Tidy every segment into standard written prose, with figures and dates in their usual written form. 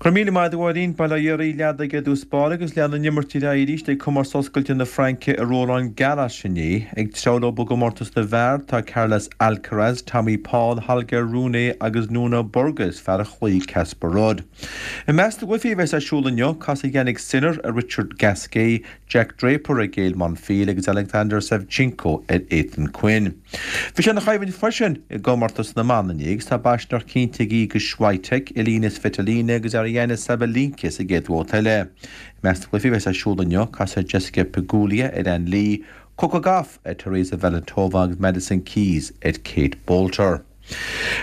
Go raibh míle maith agat a Mháirín. Bail ó Dhia oraibh leadaigh i dtús báire agus lean an imirt ar aghaidh arís ag Comórtas Oscailte na Fraince i Roland Garros inné. Ag treabhadh leo i gcomórtas na bhfear tá Carlos Alcaraz, Tommy Paul, Holger Rune agus Nuno Borges, fear a chloígh Casper Ruud. I measc na gcluichí a bheas ar siúl inniu, casfaidh Jannik Sinner ar Richard Gasquet, Jack Draper ar Gael Monfils agus Alexander Savchenko ar Ethan Quinn. Bhí sé ina choimhlint freisin i gcomórtas na mban inné agus tá baisneacht cinnte ag Iga Swiatek, Elina Svitolina agus Aryna Sabalenka sa gcéad bhabhta eile. I measc na gcluichí a bheas ar siúl inniu, casfaidh Jessica Pegula ar Ann Li, Coco Gauff ar Teresa Valentova agus Madison Keys ar Kate Boulter.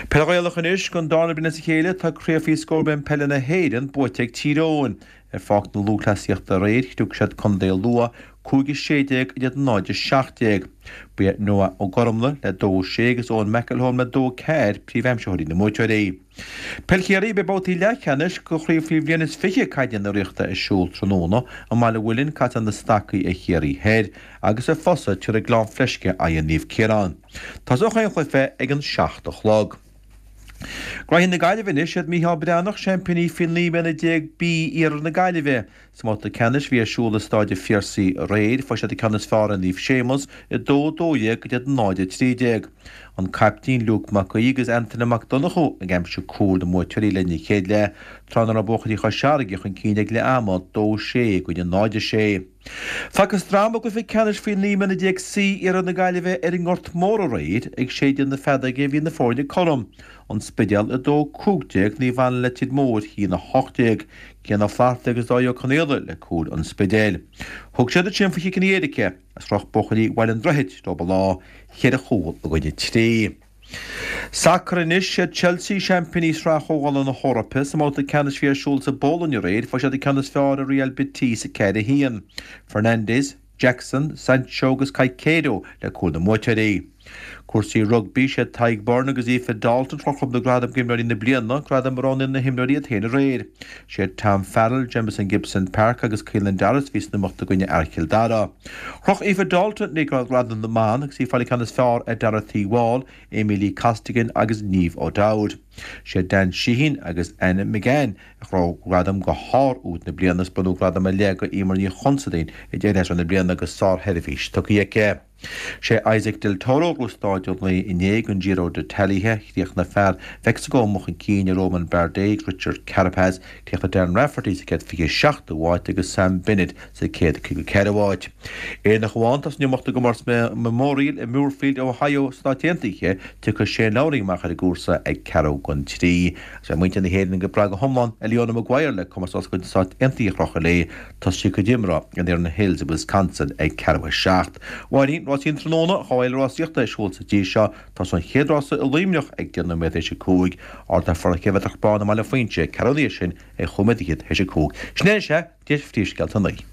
Peil Ghaelach anois, Don darna bliain as a chéile tá Craobh Faoi Scór Bliain Peile na hÉireann buaite ag Tír Eoghain. Ar Pháirc na Lúthchleasaíochta aréir, chriúigh siad Contae Lú, 5 16 in aghaidh 0 17. Ba iad Noah Ó Gormlaith le 2 6 agus Eoin McElholm le 2 4 príomhaimsitheoirí na mbuaiteoirí. Peil Chiarraí, Beidh babhtaí leathcheannais de chraobh faoi bhliain is 20 caide na Ríochta ar siúl tráthnóna. I mBaile an Mhuilinn, casfaidh na Stacaigh ar Chiarraí Thoir agus i Fosa, tabharfaidh Gleann Fleisce aghaidh ar Naomh Ciarán. Tosóidh chaon chluiche ag an 7 a chlog. Graithí na Gaillimhe anois, Siad Micheál Breathnach seaimpíní faoi 19 mbliana B Iarthar na Gaillimhe. Sa mbabhta ceannais a bhí ar siúl i Stáid an Phiarsaigh aréir, fuair siad an ceann is fearr ar Naomh Séamus, 2 12 in aghaidh 0 13. An caiptín Luke Mac Aoidh agus Antaine Mac Donnchú ag aimsiú cúil na mbuaiteoirí le linn an chéad leath, tráth ná raibh buachaillí Chois Fharraige chun cinn ag leath ama, 2 6 i gcoinne 0 6. Facthas dráma i gcluiche ceannais faoi 19 mbliana C Iarthar na Gaillimhe ar an nGort Mór aréir ag séideadh na feadóige bhí na foirne cothrom, An Spidéal 2 15, Naomh Anna Leitir Móir 1 18, Cian Ó Flatharta agus Dáithí Ó Conaola le cúil an Spidéil. Thug siad ansin faoi chiceanna éirice agus chroch buachaillí Bhaile an Droichid leo an lá, cheithre chúl i gcoinne trí. Sacar anois, Siad Chelsea seaimpíní Shraith Chomhdhála na hEorpa. Sa mbabhta ceannais a bhí ar siúl sa bPolainn aréir, fuair siad an ceann is fearr ar Real Betis 4, 1. Fernandes, Jackson, Sancho agus Caicedo le cúil na mbuaiteoirí. Cúrsaí rugbaí, Siad Tadhg Beirne agus Aoife Dalton a chroch na gradaim d'imreoirí na bliana, gradam a roghnaíonn na himreoirí iad féin aréir. Siad Tom Farrell, Jamison Gibson-Park agus Caelan Doris a bhí san iomaíocht i gcoinne fhear Chill Dara. Chroch Aoife Dalton léi gradam na mban agus í ag fáil an ceann is fearr ar Dorothy Wall, Amee-Leigh Costigan agus Niamh O'Dowd. Siad Dan Sheehan agus Anna McGann a ghnóthaigh gradam do shár-úd na bliana agus bronnadh gradam ar leith do Eimear Ní Chonsadáin a d'éirigh as na bliana agus sársheirbhís tugtha aici. Sé Isaac Del Toro a ghnóthaigh stáid an lae inné don Giro d'Italia. Chríochnaigh fear Mheicsiceo amuigh chun cinn ar Romain Bardet agus Richard Carapaz. Chríochnaigh Darren Rafferty sa chéad 27ú háit agus Sam Bennett sa chéad 54ú háit. Éireannach amháin atá san iomaíocht i gcomórtas Memorial i Muirfield, Ohio, Stáit Aontaithe. Tiocfaidh Shane Lowry amach ar an gcúrsa ag ceathrú don trí. Agus beidh muintir na hÉireann ag brath go hiomlán ar Leona Maguire le comórtas oscailte na Stát Aontaithe a chrochadh léi. Tosóidh sí a cuid imeartha in Erin Hills i Wisconsin ag ceathrú a 7. Máirín, Rásaí an tráthnóna, an fhéile rásaíochta ar siúl sa tír seo. Tosóidh an chéad rása i Luimneach ag 10 nóiméad théis a 5. Ardán Chéibh Bán i mBaile Phuinse, ceathrú ina dhiaidh sin ag chúig nóiméad fhichead théis a 5. Sin é, sea, deis phríomhscéalta an lae.